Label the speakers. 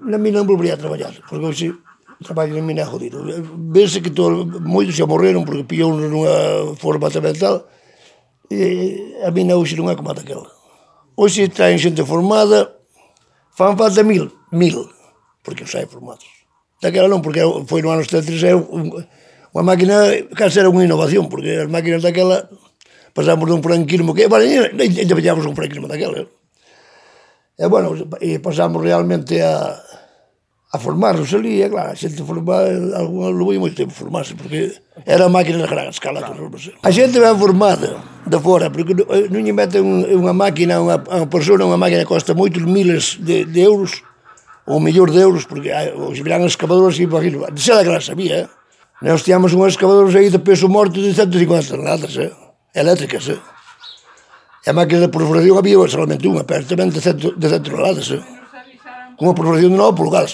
Speaker 1: na mina non volvería a traballar, porque hoxe traballo na mina é jodido. Vese que moitos xa morreron porque pillou nunha forma tamén tal, e a mina hoxe non é como a daquela. Hoxe traen xente formada, fan falta 1000, porque os hai formados. Daquela non, porque foi no ano 73, unha máquina case era unha innovación, porque as máquinas daquela pasamos dun franquismo que, ainda veñamos un franquismo daquela. E, bueno, pasamos realmente a formarnos ali, e claro, a xente formada, alguna levou moito tempo formarse, porque era máquinas a gran escala. A xente ben formada de fora, porque non lle meten unha máquina, unha persona, unha máquina que costa moitos miles de euros, ou millóns de euros, porque os verán excavadores, imagino, de ser que las había, nós tíamos unhas excavadoras aí de peso morto de 150 toneladas, eléctricas, e a máquina de perforación había solamente unha, pero tamén de 100 toneladas, con unha perforación de 9 pulgadas.